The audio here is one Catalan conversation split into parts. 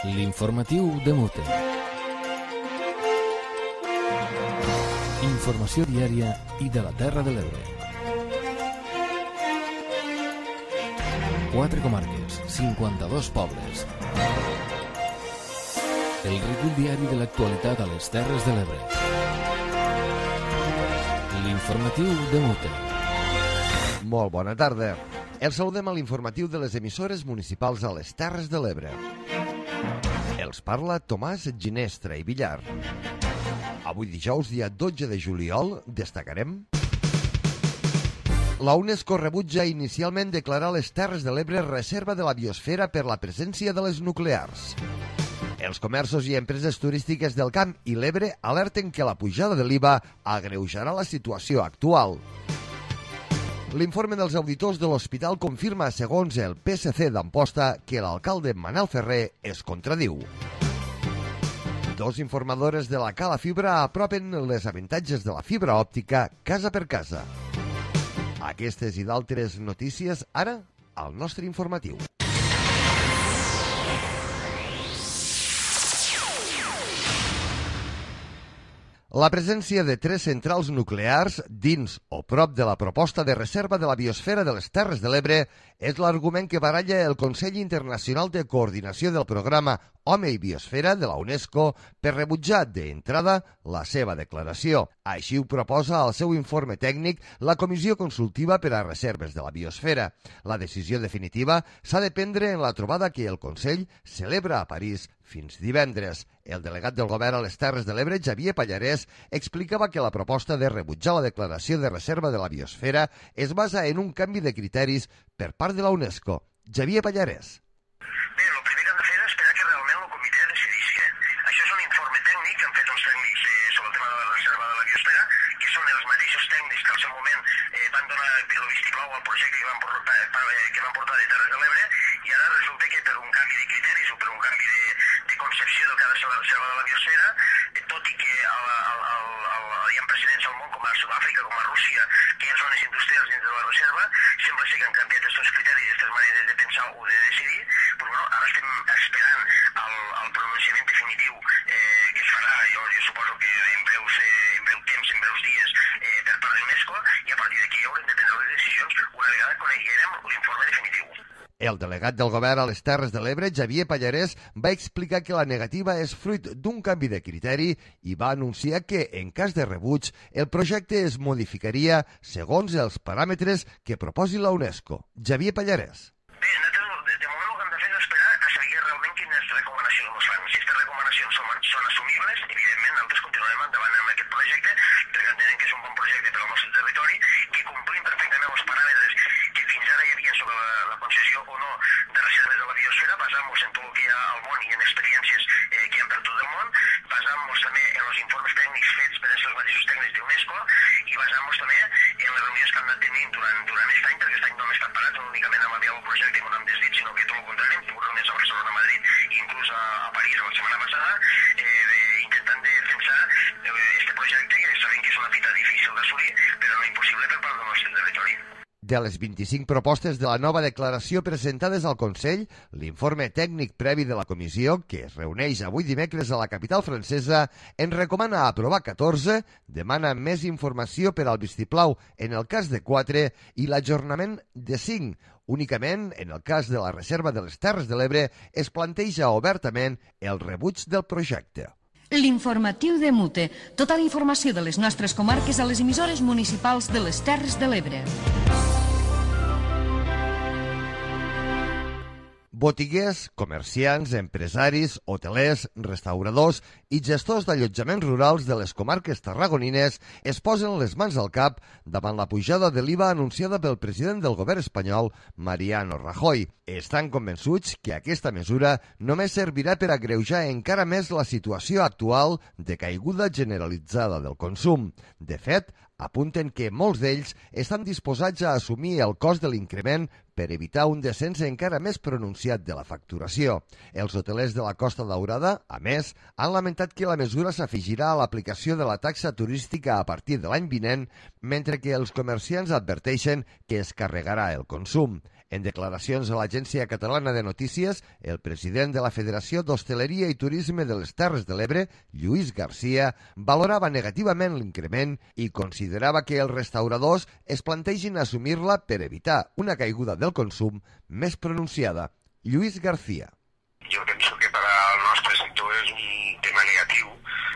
L'informatiu de Mute. Informació diària i de la Terra de l'Ebre. 4 comarques, 52 pobles. El recull diari de l'actualitat a les Terres de l'Ebre. L'informatiu de Mute. Molt bona tarda. Els saludem a l'informatiu de les emissores municipals a les Terres de l'Ebre. Els parla Tomàs Ginestra i Villar. Avui dijous, dia 12 de juliol, destacarem: la UNESCO rebutja inicialment declarar les Terres de l'Ebre reserva de la biosfera per la presència de les nuclears. Els comerços i empreses turístiques del Camp i l'Ebre alerten que la pujada de l'IVA agreujarà la situació actual. L'informe dels auditors de l'hospital confirma, segons el PSC d'Amposta, que l'alcalde Manel Ferrer es contradiu. Dos informadores de la Cala Fibra apropen les avantatges de la fibra òptica casa per casa. Aquestes i d'altres notícies ara al nostre informatiu. La presència de 3 centrals nuclears dins o prop de la proposta de reserva de la biosfera de les Terres de l'Ebre és l'argument que baralla el Consell Internacional de Coordinació del Programa Home i Biosfera de la UNESCO per rebutjar d'entrada la seva declaració. Així ho proposa al seu informe tècnic la Comissió Consultiva per a Reserves de la Biosfera. La decisió definitiva s'ha de prendre en la trobada que el Consell celebra a París fins divendres. El delegat del govern a les Terres de l'Ebre, Xavier Pallarès, explicava que la proposta de rebutjar la declaració de reserva de la biosfera es basa en un canvi de criteris per part de la UNESCO. Xavier Pallarès. Bé, el primer que han de fer és esperar que realment el comitè decidisca. Això és un informe tècnic que han fet uns tècnics sobre el tema de la reserva de la biosfera, que són els mateixos tècnics que al seu moment van donar el vistiplau al projecte que van portar de Terres de l'Ebre, i ara resulta que per un canvi de criteris o per un canvi de concepció del que ha de ser la reserva de la biosfera, tot i que hi ha precedents al món com a Sud-àfrica, com a Rússia, que hi ha zones industrials dins de la reserva, sembla ser que han canviat aquests criteris i aquestes maneres de pensar o de decidir, però bueno, ara estem esperant el pronunciament definitiu que es farà, jo suposo que en breu temps, en breus dies, per part de l'UNESCO, i a partir d'aquí haurem de prendre les decisions una vegada coneguérem l'informe definitiu. El delegat del govern a les Terres de l'Ebre, Xavier Pallarès, va explicar que la negativa és fruit d'un canvi de criteri i va anunciar que, en cas de rebuig, el projecte es modificaria segons els paràmetres que proposi la UNESCO. Xavier Pallarès. Bé, nosaltres de moment el que hem de fer és esperar a saber realment quines recomanacions ens fan. Si aquestes recomanacions són assumibles, evidentment nosaltres continuarem endavant amb aquest projecte, perquè entenem que és un bon projecte per al nostre territori, que complim perfectament els paràmetres que fins ara hi havia sobre la concessió o no de reserves de la biosfera, basant-nos en tot el que hi ha al món i en experiències que hi ha per tot el món, basant-nos també en els informes tècnics fets per els mateixos tècnics d'UNESCO i basant-nos també en les reunions que hem anat tenint durant aquest any, perquè aquest any no hem estat parats, no únicament amb el projecte com hem desdit, sinó que tot el contrari, hem tingut reunions a Barcelona, a Madrid i inclús a París la setmana passada, intentant defensar este projecte, que sabem que és una fita difícil d'assolir, però no impossible per part del nostre territori. De les 25 propostes de la nova declaració presentades al Consell, l'informe tècnic previ de la comissió, que es reuneix avui dimecres a la capital francesa, en recomana aprovar 14, demana més informació per al vistiplau en el cas de 4 i l'ajornament de 5. Únicament, en el cas de la reserva de les Terres de l'Ebre, es planteja obertament el rebuig del projecte. L'informatiu de Mute. Tota la informació de les nostres comarques a les emissores municipals de les Terres de l'Ebre. Botiguers, comerciants, empresaris, hotelers, restauradors i gestors d'allotjaments rurals de les comarques tarragonines es posen les mans al cap davant la pujada de l'IVA anunciada pel president del govern espanyol, Mariano Rajoy. Estan convençuts que aquesta mesura només servirà per agreujar encara més la situació actual de caiguda generalitzada del consum. De fet, apunten que molts d'ells estan disposats a assumir el cost de l'increment per evitar un descens encara més pronunciat de la facturació. Els hotelers de la Costa Daurada, a més, han lamentat que la mesura s'afegirà a l'aplicació de la taxa turística a partir de l'any vinent, mentre que els comerciants adverteixen que es carregarà el consum. En declaracions a l'Agència Catalana de Notícies, el president de la Federació d'Hostaleria i Turisme de les Terres de l'Ebre, Lluís Garcia, valorava negativament l'increment i considerava que els restauradors es plantegin assumir-la per evitar una caiguda del consum més pronunciada. Lluís García. Jo penso que per al nostre sector és un tema negatiu,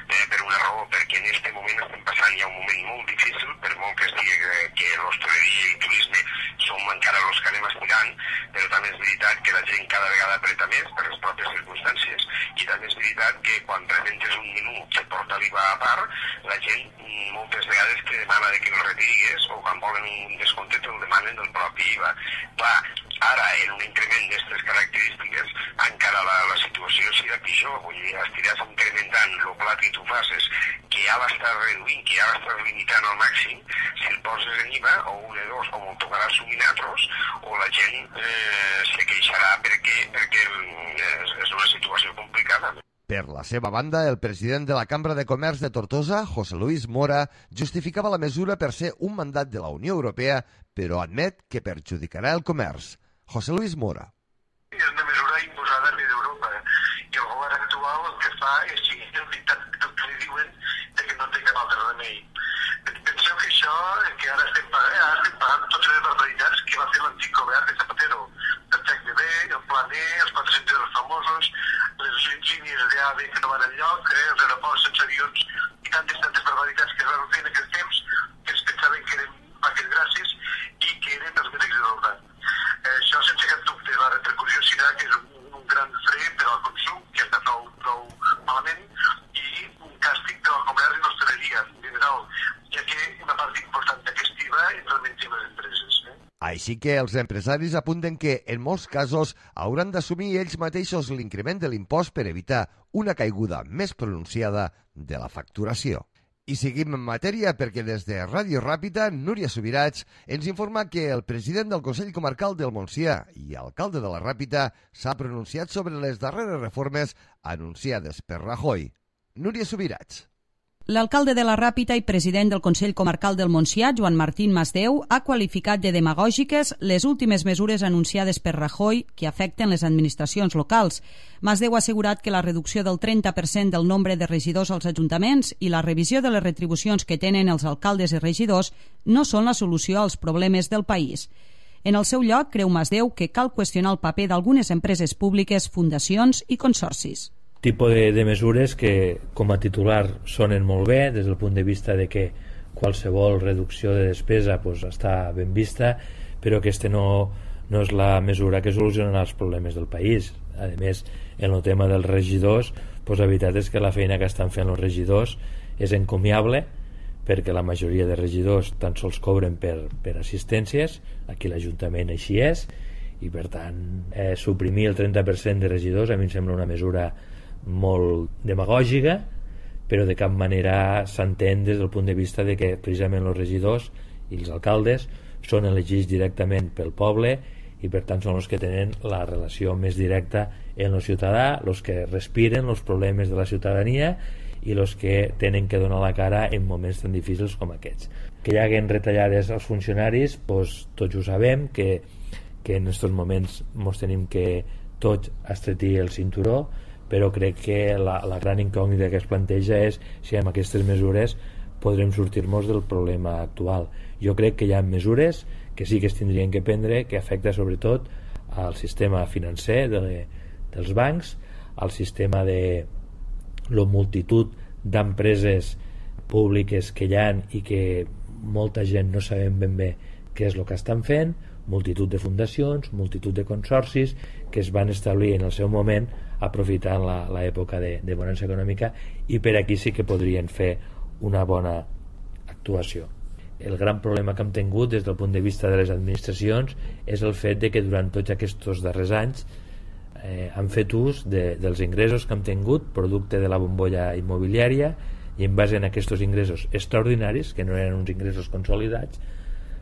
per una raó, perquè en aquest moment estem passant ja un moment molt difícil, per molt que es digui que l'hostaleria i el turisme som encara els que anem aspirant, però també és veritat que la gent cada vegada apreta més per les pròpies circumstàncies, i també és veritat que quan presentes un menú que porta l'IVA a part, la gent moltes vegades te demana que el retires, o quan volen un descompte te'l demanen del propi IVA. Clar, ara, en un increment d'aquestes característiques, encara la situació serà pitjor, vull dir, estiràs incrementant el plat que tu faces, que ja l'estàs reduint, que ja l'estàs limitant al màxim, si el poses en IVA, o un de dos, o me'l tocarà assumir altres, o la gent se queixarà perquè és una situació complicada. Per la seva banda, el president de la Cambra de Comerç de Tortosa, José Luis Mora, justificava la mesura per ser un mandat de la Unió Europea, però admet que perjudicarà el comerç. José Luis Mora. És una mesura imposada per Europa i el govern actual el que fa és seguir el dictat que li diuen que no té cap altre remei. Penseu que això, que ara estem pagant totes les barbaritats que va fer l'antic govern de Zapatero. El TEC-DB, el Plan E, els 400 euros famosos, les línies d'AVE que no van enlloc, els aeroports sense avions i tantes barbaritats que es van fer en aquest temps que ens pensaven que eren vaques gràcies i que eren els més exaltats. Això, sense cap dubte, la repercussió serà que és un gran fre per al consum, que està prou malament, i un càstig per al comerç i l'hostaleria en general, ja que una part important d'aquest IVA és realment les empreses. Així que els empresaris apunten que, en molts casos, hauran d'assumir ells mateixos l'increment de l'impost per evitar una caiguda més pronunciada de la facturació. I seguim en matèria perquè des de Ràdio Ràpita, Núria Subirats ens informa que el president del Consell Comarcal del Montsià i alcalde de la Ràpita s'ha pronunciat sobre les darreres reformes anunciades per Rajoy. Núria Subirats. L'alcalde de la Ràpita i president del Consell Comarcal del Montsià, Joan Martín Masdeu, ha qualificat de demagògiques les últimes mesures anunciades per Rajoy que afecten les administracions locals. Masdeu ha assegurat que la reducció del 30% del nombre de regidors als ajuntaments i la revisió de les retribucions que tenen els alcaldes i regidors no són la solució als problemes del país. En el seu lloc, creu Masdeu que cal qüestionar el paper d'algunes empreses públiques, fundacions i consorcis. Tipus de mesures que com a titular sonen molt bé des del punt de vista de que qualsevol reducció de despesa està ben vista, però aquesta no és la mesura que solucionarà els problemes del país. A més, en el tema dels regidors, la veritat és que la feina que estan fent els regidors és encomiable, perquè la majoria de regidors tan sols cobren per assistències, aquí l'Ajuntament així és, i per tant suprimir el 30% de regidors a mi em sembla una mesura molt demagògica, però de cap manera s'entén des del punt de vista de que precisament els regidors i els alcaldes són elegits directament pel poble i per tant són els que tenen la relació més directa amb el ciutadà, els que respiren els problemes de la ciutadania i els que tenen que donar la cara en moments tan difícils com aquests. Que hi haguen retallades als funcionaris, tots ho sabem, que en aquests moments ens tenim que tots estretir el cinturó, però crec que la gran incògnita que es planteja és si amb aquestes mesures podrem sortir-nos del problema actual. Jo crec que hi ha mesures que sí que es tindrien que prendre, que afecta sobretot al sistema financer dels bancs, al sistema de la multitud d'empreses públiques que hi ha i que molta gent no sabem ben bé què és el que estan fent, multitud de fundacions, multitud de consorcis que es van establir en el seu moment aprofitant l'època de bonança econòmica, i per aquí sí que podrien fer una bona actuació. El gran problema que hem tingut des del punt de vista de les administracions és el fet de que durant tots aquests darrers anys han fet ús dels ingressos que hem tingut producte de la bombolla immobiliària, i en base a aquests ingressos extraordinaris, que no eren uns ingressos consolidats,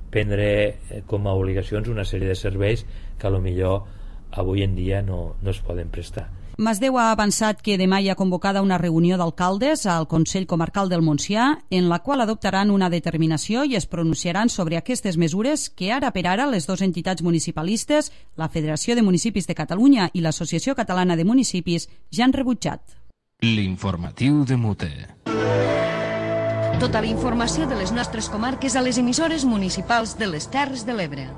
prendre com a obligacions una sèrie de serveis que a lo millor avui en dia no es poden prestar. Masdeu ha avançat que demà hi ha convocada una reunió d'alcaldes al Consell Comarcal del Montsià en la qual adoptaran una determinació i es pronunciaran sobre aquestes mesures que ara per ara les dues entitats municipalistes, la Federació de Municipis de Catalunya i l'Associació Catalana de Municipis, ja han rebutjat. L'informatiu de Mute. Tota la informació de les nostres comarques a les emissores municipals de les Terres de l'Ebre.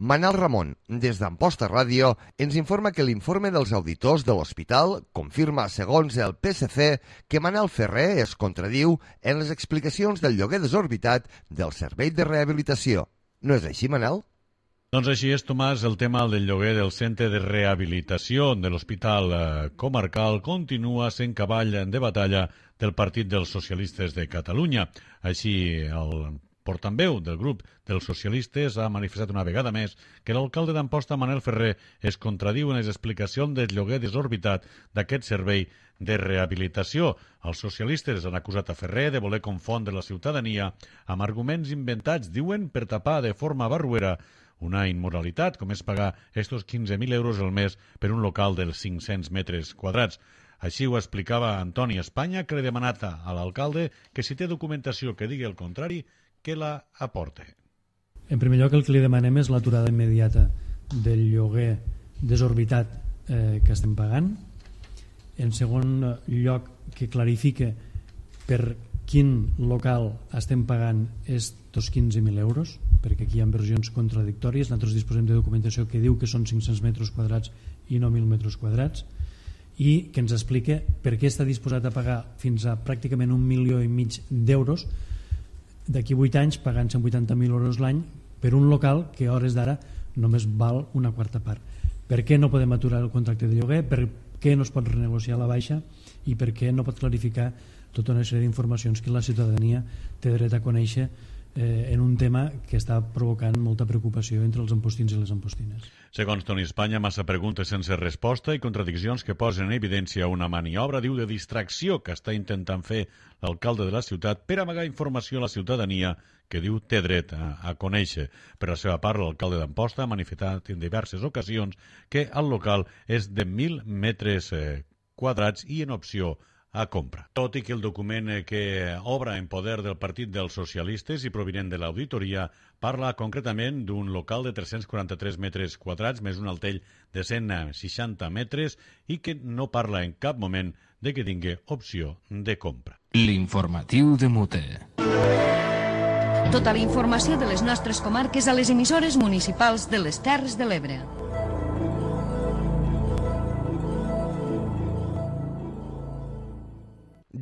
Manel Ramon, des d'Amposta Ràdio, ens informa que l'informe dels auditors de l'hospital confirma, segons el PSC, que Manel Ferrer es contradiu en les explicacions del lloguer desorbitat del servei de rehabilitació. No és així, Manel? Doncs així és, Tomàs. El tema del lloguer del centre de rehabilitació de l'Hospital Comarcal continua sent cavall de batalla del Partit dels Socialistes de Catalunya. Així, el portaveu del grup dels socialistes ha manifestat una vegada més que l'alcalde d'Amposta, Manel Ferrer, es contradiu en les explicacions del lloguer desorbitat d'aquest servei de rehabilitació. Els socialistes han acusat a Ferrer de voler confondre la ciutadania amb arguments inventats, diuen, per tapar de forma barruera una immoralitat, com és pagar estos 15.000 euros al mes per un local dels 500 metres quadrats. Així ho explicava Antoni Espanya, que li ha demanat a l'alcalde que si té documentació que digui el contrari, que la aporte. En primer lloc, el que li demanem és l'aturada immediata del lloguer desorbitat que estem pagant. En segon lloc, que clarifique per quin local estem pagant estos 15.000 euros, perquè aquí hi ha versions contradictòries. Nosaltres disposem de documentació que diu que són 500 metres quadrats i no 1.000 metres quadrats, i que ens explique per què està disposat a pagar fins a pràcticament 1,5 milions d'euros d'aquí 8 anys, pagant 180.000 euros l'any per un local que a hores d'ara només val una quarta part. Per què no podem aturar el contracte de lloguer? Per què no es pot renegociar la baixa? I per què no pot clarificar tota una sèrie d'informacions que la ciutadania té dret a conèixer en un tema que està provocant molta preocupació entre els ampostins i les ampostines. Segons Toni Espanya, massa preguntes sense resposta i contradiccions que posen en evidència una maniobra, diu, de distracció que està intentant fer l'alcalde de la ciutat per amagar informació a la ciutadania que diu té dret a conèixer. Per la seva part, l'alcalde d'Amposta ha manifestat en diverses ocasions que el local és de 1.000 metres quadrats i en opció a compra. Tot i que el document que obra en poder del Partit dels Socialistes i provinent de l'auditoria parla concretament d'un local de 343 metres quadrats més un altell de 160 metres i que no parla en cap moment de que tingui opció de compra. L'informatiu de Mute. Tota la informació de les nostres comarques a les emissores municipals de les Terres de l'Ebre.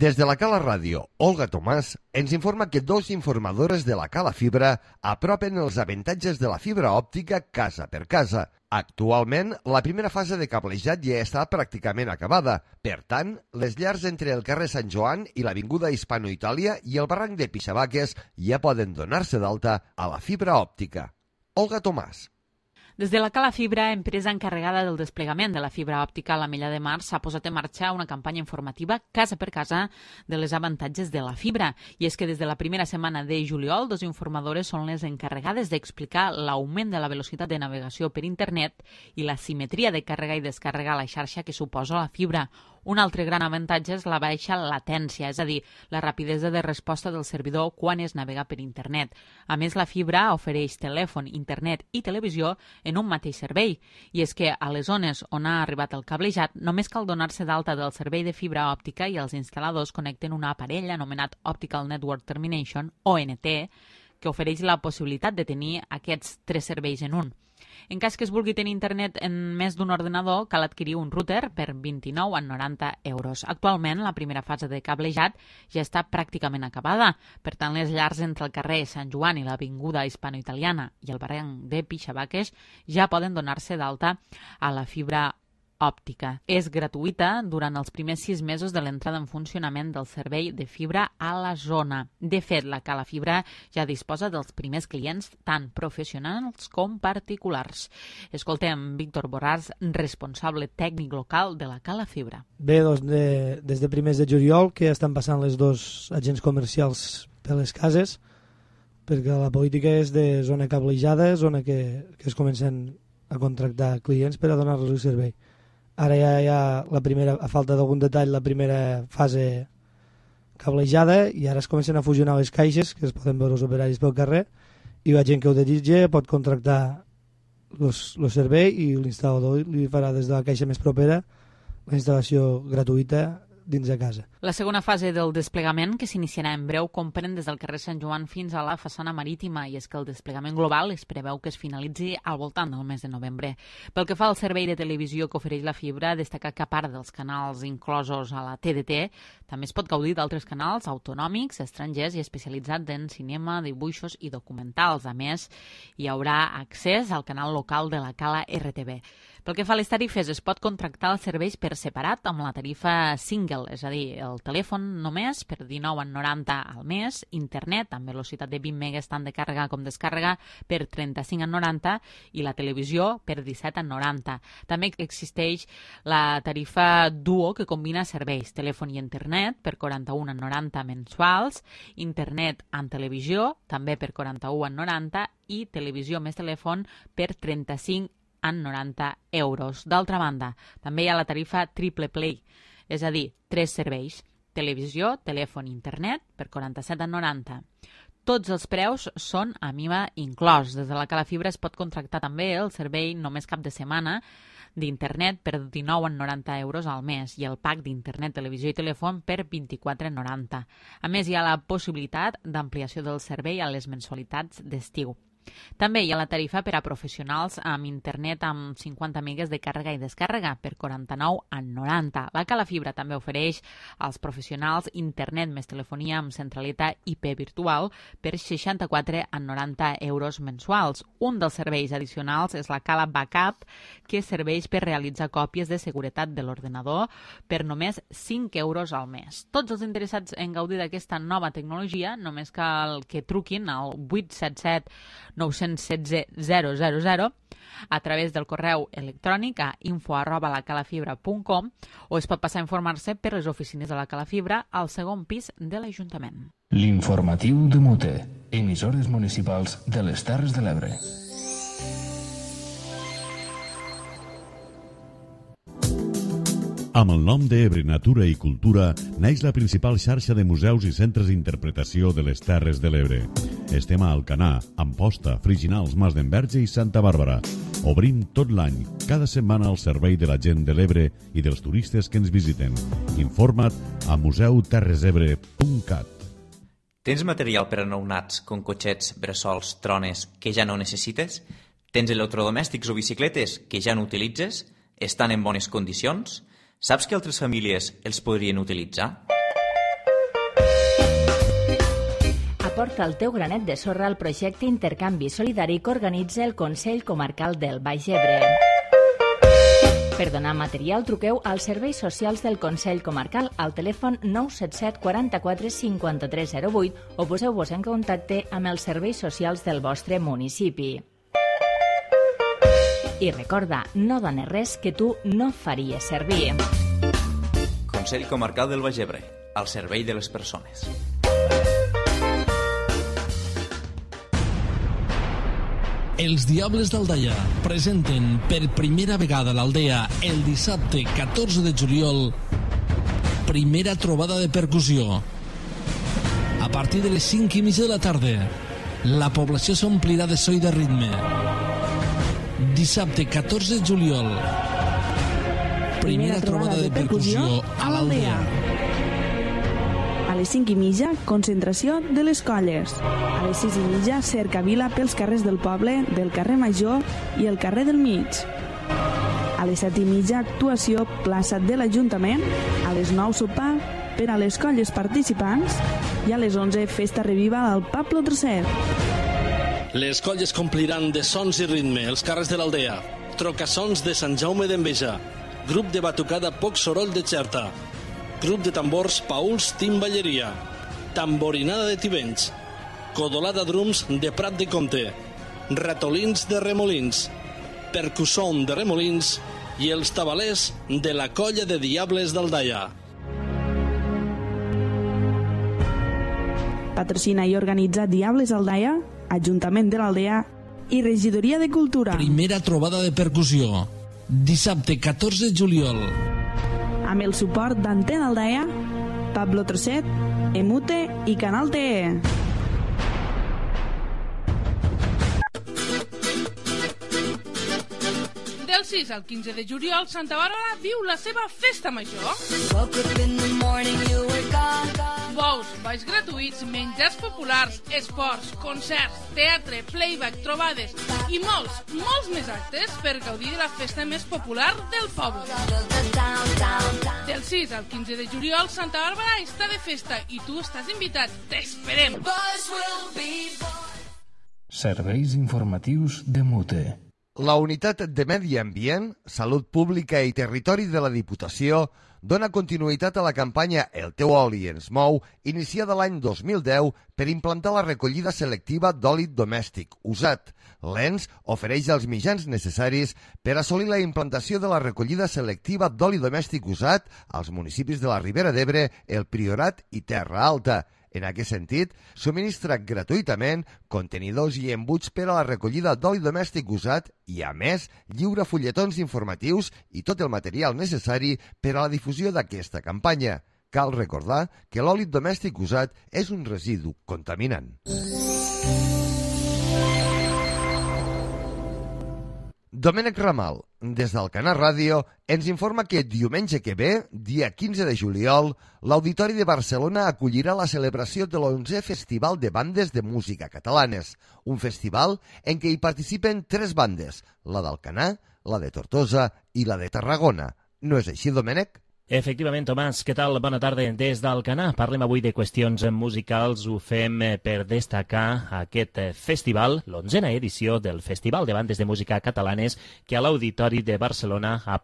Des de la Cala Ràdio, Olga Tomàs ens informa que dos informadores de la Cala Fibra apropen els avantatges de la fibra òptica casa per casa. Actualment, la primera fase de cablejat ja està pràcticament acabada. Per tant, les llars entre el carrer Sant Joan i l'Avinguda Hispano-Itàlia i el barranc de Pixabaques ja poden donar-se d'alta a la fibra òptica. Olga Tomàs. Des de la Cala Fibra, empresa encarregada del desplegament de la fibra òptica a l'Ametlla de Mar, s'ha posat en marxa una campanya informativa casa per casa de les avantatges de la fibra. I és que des de la primera setmana de juliol, dos informadores són les encarregades d'explicar l'augment de la velocitat de navegació per internet i la simetria de càrrega i descàrrega a la xarxa que suposa la fibra. Un altre gran avantatge és la baixa latència, és a dir, la rapidesa de resposta del servidor quan es navega per internet. A més, la fibra ofereix telèfon, internet i televisió en un mateix servei. I és que a les zones on ha arribat el cablejat només cal donar-se d'alta del servei de fibra òptica i els instal·ladors connecten un aparell anomenat Optical Network Termination, ONT, que ofereix la possibilitat de tenir aquests tres serveis en un. En cas que es vulgui tenir internet en més d'un ordenador, cal adquirir un router per 29,90 euros. Actualment, la primera fase de cablejat ja està pràcticament acabada. Per tant, les llars entre el carrer Sant Joan i l'Avinguda Hispano-Italiana i el barranc de Pixabaques ja poden donar-se d'alta a la fibra òptica. És gratuïta durant els primers 6 mesos de l'entrada en funcionament del servei de fibra a la zona. De fet, la Cala Fibra ja disposa dels primers clients, tant professionals com particulars. Escoltem Víctor Borràs, responsable tècnic local de la Cala Fibra. Bé, doncs des de primers de juliol que estan passant les dos agents comercials per les cases, perquè la política és de zona cablejada, zona que es comencen a contractar clients per a donar-los el servei. Ara ja hi ha la primera, a falta d'algun detall, la primera fase cablejada i ara es comencen a fusionar les caixes, que es poden veure els operaris pel carrer, i la gent que ho desitja pot contractar el servei i l'instal·lador li farà des de la caixa més propera la instal·lació gratuïta dins de casa. La segona fase del desplegament, que s'iniciarà en breu, comprèn des del carrer Sant Joan fins a la façana marítima, i és que el desplegament global es preveu que es finalitzi al voltant del mes de novembre. Pel que fa al servei de televisió que ofereix la fibra, destaca que a part dels canals inclosos a la TDT, també es pot gaudir d'altres canals autonòmics, estrangers i especialitzats en cinema, dibuixos i documentals. A més, hi haurà accés al canal local de la Cala RTV. Pel que fa a les tarifes, es pot contractar els serveis per separat amb la tarifa single, és a dir, el telèfon només per 19,90 al mes, internet amb velocitat de 20 megas tant de càrrega com descàrrega per 35,90 i la televisió per 17,90. També existeix la tarifa Duo, que combina serveis, telèfon i internet per 41,90 mensuals, internet amb televisió també per 41,90 i televisió més telèfon per 35,90 euros. D'altra banda, també hi ha la tarifa Triple Play, és a dir, 3 serveis, televisió, telèfon i internet per 47,90. Tots els preus són amb IVA inclòs. Des de la Cala Fibra es pot contractar també el servei només cap de setmana d'internet per 19,90 euros al mes i el pack d'internet, televisió i telèfon per 24,90. A més, hi ha la possibilitat d'ampliació del servei a les mensualitats d'estiu. També hi ha la tarifa per a professionals amb internet amb 50 megas de càrrega i descàrrega per 49,90. La Cala Fibra també ofereix als professionals internet més telefonia amb centraleta IP virtual per 64,90 euros mensuals. Un dels serveis addicionals és la Cala Backup, que serveix per realitzar còpies de seguretat de l'ordenador per només 5 euros al mes. Tots els interessats en gaudir d'aquesta nova tecnologia només cal que truquin al 877 916 000 a través del correu electrònic a info@lacalafibra.com o es pot passar a informar-se per les oficines de la Cala Fibra al segon pis de l'Ajuntament. L'informatiu de Mute, emissores municipals de les Terres de l'Ebre. Amb el nom d'Ebre Natura i Cultura neix la principal xarxa de museus i centres d'interpretació de les Terres de l'Ebre. Estem a Alcanar, Amposta, Friginals, Mas d'Enverge i Santa Bàrbara. Obrim tot l'any, cada setmana al servei de la gent de l'Ebre i dels turistes que ens visiten. Informa't a museuterresebre.cat. Tens material per a nounats, com cotxets, bressols, trones, que ja no necessites? Tens electrodomèstics o bicicletes que ja no utilitzes? Estan en bones condicions? Saps que altres famílies els podrien utilitzar? Aporta el teu granet de sorra al projecte Intercanvi Solidari que organitza el Consell Comarcal del Baix Ebre. Per donar material, truqueu als serveis socials del Consell Comarcal al telèfon 977 44 5308 o poseu-vos en contacte amb els serveis socials del vostre municipi. I recorda, no dones res que tu no faries servir. Consell Comarcal del Baix Ebre, al servei de les persones. Els Diables d'Aldaia presenten per primera vegada a l'Aldea el dissabte 14 de juliol primera trobada de percussió. A partir de les 5:30 de la tarda, la població s'omplirà de so i de ritme. Dissabte 14 de juliol, primera trobada de percussió a l'Aldea. A les 5:30, concentració de les colles. A les 6:30, cercavila pels carrers del poble, del carrer Major i el carrer del Mig. A les 7:30, actuació plaça de l'Ajuntament. A les 9, sopar per a les colles participants. I a les 11, festa reviva al Pablo III. Les colles compliran de sons i ritme els carrers de l'Aldea. Trocassons de Sant Jaume d'Enveja. Grup de batucada Poc Soroll de Xerta. Grup de tambors Pauls Timballeria. Tamborinada de Tivenys. Codolada drums de Prat de Comte. Ratolins de Remolins. Percusson de Remolins i els tabalers de la colla de Diables d'Aldaia. Patrocina i organitza Diables Aldaia, Ajuntament de l'Aldea i Regidoria de Cultura. Primera trobada de percussió, dissabte 14 de juliol. Amb el suport d'Antena Aldaia, Pablo Trosset, Emute i Canal TE. Del 6 al 15 de juliol, Santa Bàrbara viu la seva festa major. Bous, balls gratuïts, menjars populars, esports, concerts, teatre, playback, trobades i molts més actes per gaudir de la festa més popular del poble. Del 6 al 15 de juliol, Santa Bàrbara està de festa i tu estàs invitat. T'esperem! Serveis informatius de Mute. La Unitat de Medi Ambient, Salut Pública i Territori de la Diputació dona continuïtat a la campanya El teu oli ens mou, iniciada l'any 2010 per implantar la recollida selectiva d'oli domèstic usat. L'ENS ofereix els mitjans necessaris per assolir la implantació de la recollida selectiva d'oli domèstic usat als municipis de la Ribera d'Ebre, el Priorat i Terra Alta. En aquest sentit, subministra gratuïtament contenidors i embuts per a la recollida d'oli domèstic usat i, a més, lliura fulletons informatius i tot el material necessari per a la difusió d'aquesta campanya. Cal recordar que l'oli domèstic usat és un residu contaminant. Domènec Ramal, des d'Alcanar Ràdio, ens informa que diumenge que ve, dia 15 de juliol, l'Auditori de Barcelona acollirà la celebració de l'11è Festival de Bandes de Música Catalanes, un festival en què hi participen 3 bandes, la d'Alcanar, la de Tortosa i la de Tarragona. No és així, Domènec? Efectivament, Tomàs, què tal? Bona tarda des d'Alcanar. Parlem avui de qüestions musicals. Ho fem per destacar aquest festival, l'11a edició del Festival de Bandes de Música Catalanes, que a l'Auditori de Barcelona ha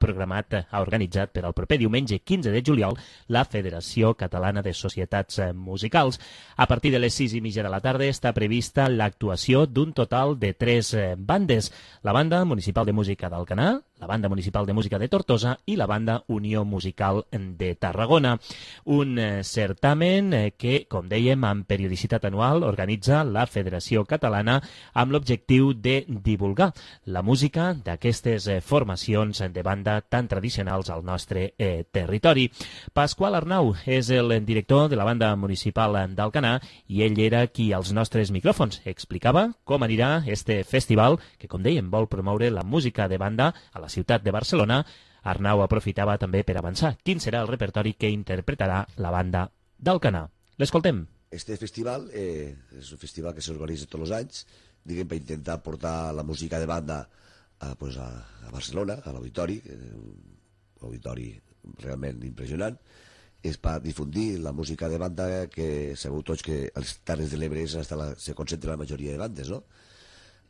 organitzat per al proper diumenge 15 de juliol la Federació Catalana de Societats Musicals. A partir de les 6:30 de la tarda està prevista l'actuació d'un total de 3 bandes. La Banda Municipal de Música d'Alcanar, la Banda Municipal de Música de Tortosa i la Banda Unió Musical de Tarragona. Un certamen que, com dèiem, amb periodicitat anual organitza la Federació Catalana amb l'objectiu de divulgar la música d'aquestes formacions de banda tan tradicionals al nostre territori. Pasqual Arnau és el director de la Banda Municipal d'Alcanar i ell era qui als nostres micròfons explicava com anirà este festival que, com dèiem, vol promoure la música de banda a la ciutat de Barcelona. Arnau aprofitava també per avançar quin serà el repertori que interpretarà la banda d'Alcanar. L'escoltem. Este festival és un festival que s'organitza tots els anys, diguem, per intentar portar la música de banda a Barcelona, a l'auditori, un auditori realment impressionant. És per difundir la música de banda que sabeu tots que als Terres de l'Ebre se concentra la majoria de bandes, no?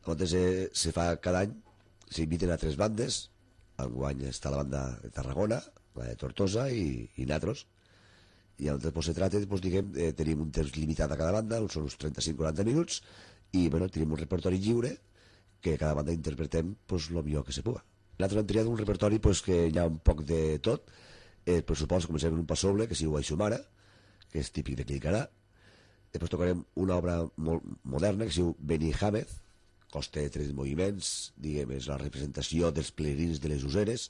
Llavors se fa cada any, s'inviten a 3 bandes. Enguany està la banda de Tarragona, la de Tortosa i Natros. I llavors se tracta, diguem, tenim un temps limitat a cada banda, són uns 35-40 minuts, i tenim un repertori lliure que cada banda interpretem el millor que se puga. Nosaltres hem triat un repertori que hi ha un poc de tot. Per suposo comencem amb un passoble, que es diu Aixumara, que és típic de Clicarà. Després tocarem una obra molt moderna, que es diu Beni Hamez, costa 3 moviments, diguem, és la representació dels peregrins de les useres,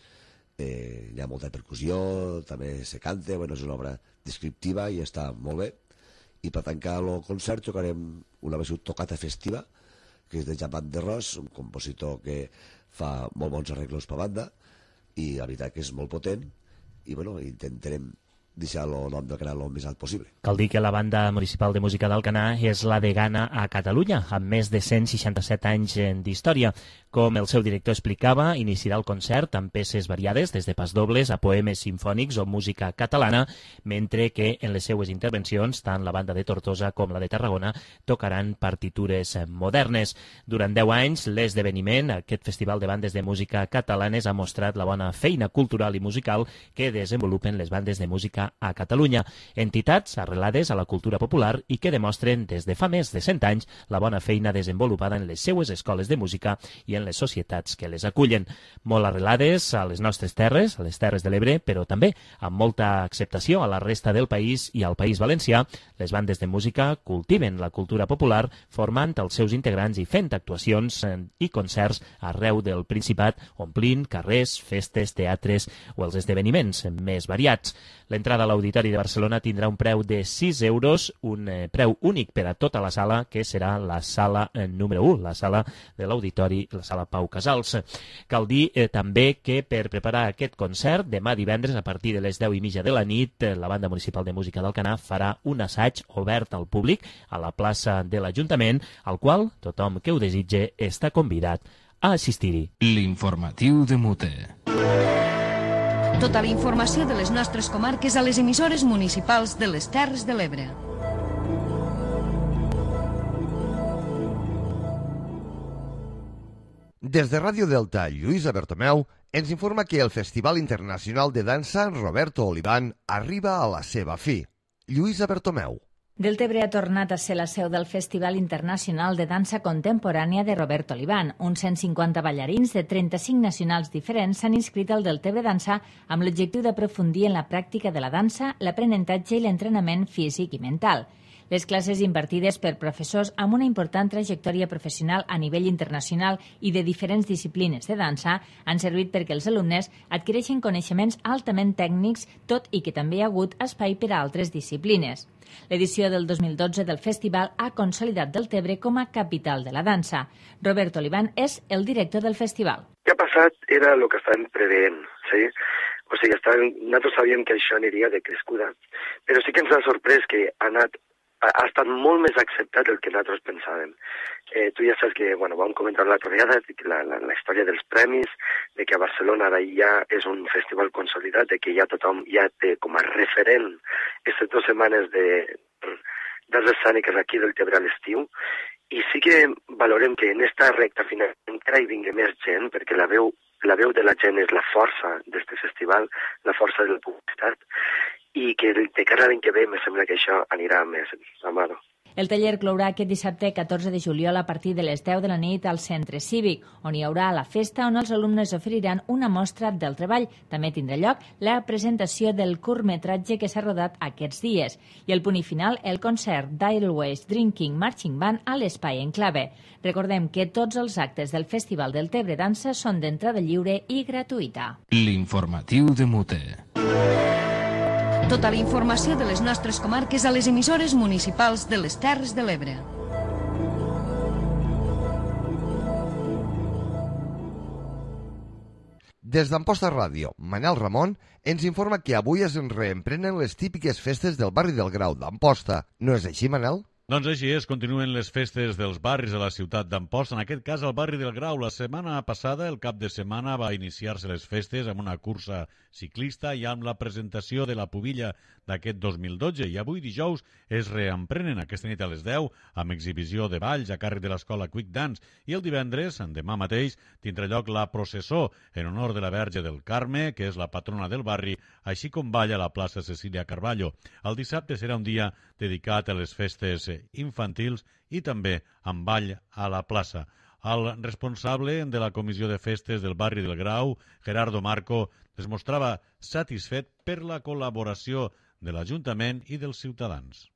hi ha molta percussió, també se canta, és una obra descriptiva i està molt bé. I per tancar el concert tocarem una versió tocata festiva, que és de Japan de Ros, un compositor que fa molt bons arreglos per banda, i la veritat que és molt potent, i intentarem deixar el nom del canal el més alt possible. Cal dir que la Banda Municipal de Música d'Alcanar és la degana a Catalunya, amb més de 167 anys d'història. Com el seu director explicava, iniciarà el concert amb peces variades, des de pasdobles a poemes simfònics o música catalana, mentre que en les seues intervencions, tant la banda de Tortosa com la de Tarragona, tocaran partitures modernes. Durant 10 anys, l'esdeveniment, aquest Festival de Bandes de Música Catalanes, ha mostrat la bona feina cultural i musical que desenvolupen les bandes de música música a Catalunya. Entitats arrelades a la cultura popular i que demostren des de fa més de 100 anys la bona feina desenvolupada en les seues escoles de música i en les societats que les acullen. Molt arrelades a les nostres terres, a les Terres de l'Ebre, però també amb molta acceptació a la resta del país i al País Valencià, les bandes de música cultiven la cultura popular formant els seus integrants i fent actuacions i concerts arreu del Principat, omplint carrers, festes, teatres o els esdeveniments més variats. L'entrada a l'Auditori de Barcelona tindrà un preu de 6 euros, un preu únic per a tota la sala, que serà la sala número 1, la sala de l'Auditori, la sala Pau Casals. Cal dir també que per preparar aquest concert, demà divendres a partir de les 10:30 de la nit, la Banda Municipal de Música d'Alcanar farà un assaig obert al públic a la plaça de l'Ajuntament, al qual tothom que ho desitge està convidat a assistir-hi. L'informatiu de Mute. Tota la informació de les nostres comarques a les emissores municipals de les Terres de l'Ebre. Des de Ràdio Delta, Lluïsa Bertomeu ens informa que el Festival Internacional de Dansa Roberto Oliván arriba a la seva fi. Lluïsa Bertomeu. Deltebre ha tornat a ser la seu del Festival Internacional de Dansa Contemporània de Roberto Oliván. Uns 150 ballarins de 35 nacionals diferents s'han inscrit al Deltebre Dansa amb l'objectiu d'aprofundir en la pràctica de la dansa, l'aprenentatge i l'entrenament físic i mental. Les classes impartides per professors amb una important trajectòria professional a nivell internacional i de diferents disciplines de dansa han servit perquè els alumnes adquireixin coneixements altament tècnics, tot i que també hi ha hagut espai per a altres disciplines. L'edició del 2012 del festival ha consolidat Deltebre com a capital de la dansa. Roberto Oliván és el director del festival. Què ha passat era el que estàvem preveient, sí? O sigui, nosaltres sabíem que això aniria de crescuda, però sí que ens ha sorprès que ha estat molt més acceptat del que nosaltres pensàvem. Tu ja saps que, vam comentar l'altra vegada la història dels premis, de que a Barcelona ara ja és un festival consolidat, de que ja tothom ja té com a referent aquestes 2 setmanes d'arts escèniques aquí del Deltebre a l'estiu, i sí que valorem que en esta recta final encara hi vingui més gent, perquè la veu de la gent és la força d'aquest festival, la força de la publicitat, i que de cara a l'any que ve me sembla que això anirà més a mano. El taller clourà aquest dissabte 14 de juliol a partir de les 10 de la nit al Centre Cívic, on hi haurà la festa on els alumnes oferiran una mostra del treball. També tindrà lloc la presentació del curtmetratge que s'ha rodat aquests dies. I el punt i final, el concert d'Airways Drinking Marching Band a l'Espai Enclave. Recordem que tots els actes del Festival Deltebre Dansa són d'entrada lliure i gratuïta. L'informatiu de Mute. Tota la informació de les nostres comarques a les emissores municipals de les Terres de l'Ebre. Des d'Amposta Ràdio, Manel Ramon ens informa que avui es reemprenen les típiques festes del barri del Grau d'Amposta. No és així, Manel? Doncs així és, continuen les festes dels barris de la ciutat d'Amposta, en aquest cas al barri del Grau. La setmana passada, el cap de setmana, va iniciar-se les festes amb una cursa ciclista i amb la presentació de la pubilla d'aquest 2012. I avui, dijous, es reemprenen aquesta nit a les 10 amb exhibició de balls a càrrec de l'escola Quick Dance. I el divendres, demà mateix, tindrà lloc la processó en honor de la Verge del Carme, que és la patrona del barri, així com balla a la plaça Cecília Carballo. El dissabte serà un dia dedicat a les festes infantils i també amb ball a la plaça. El responsable de la comissió de festes del barri del Grau, Gerardo Marco, es mostrava satisfet per la col·laboració de l'Ajuntament i dels ciutadans.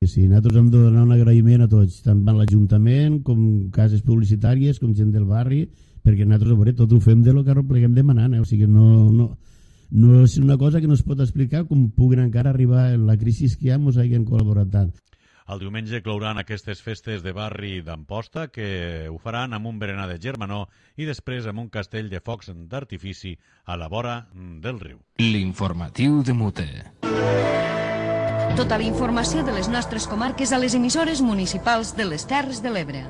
Sí, nosaltres hem de donar un agraïment a tots, tant a l'Ajuntament com cases publicitàries, com gent del barri, perquè nosaltres tot ho fem de lo que pleguem demanant, o sigui, no és una cosa que no es pot explicar com puguen encara arribar en la crisi que ens hagin col·laborat tant. El diumenge clouran aquestes festes de barri d'Amposta, que ho faran amb un berenar de germanor i després amb un castell de focs d'artifici a la vora del riu. L'informatiu de Mute. Tota la informació de les nostres comarques a les emissores municipals de les Terres de l'Ebre.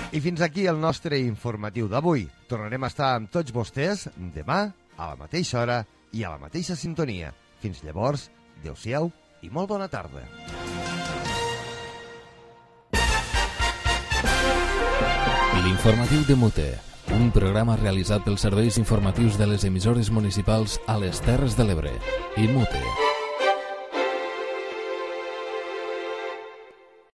I fins aquí el nostre informatiu d'avui. Tornarem a estar amb tots vostès demà a la mateixa hora i a la mateixa sintonia. Fins llavors, adeu-siau i molt bona tarda. L'informatiu de Mute, un programa realitzat pels serveis informatius de les emissores municipals a les Terres de l'Ebre i Mute.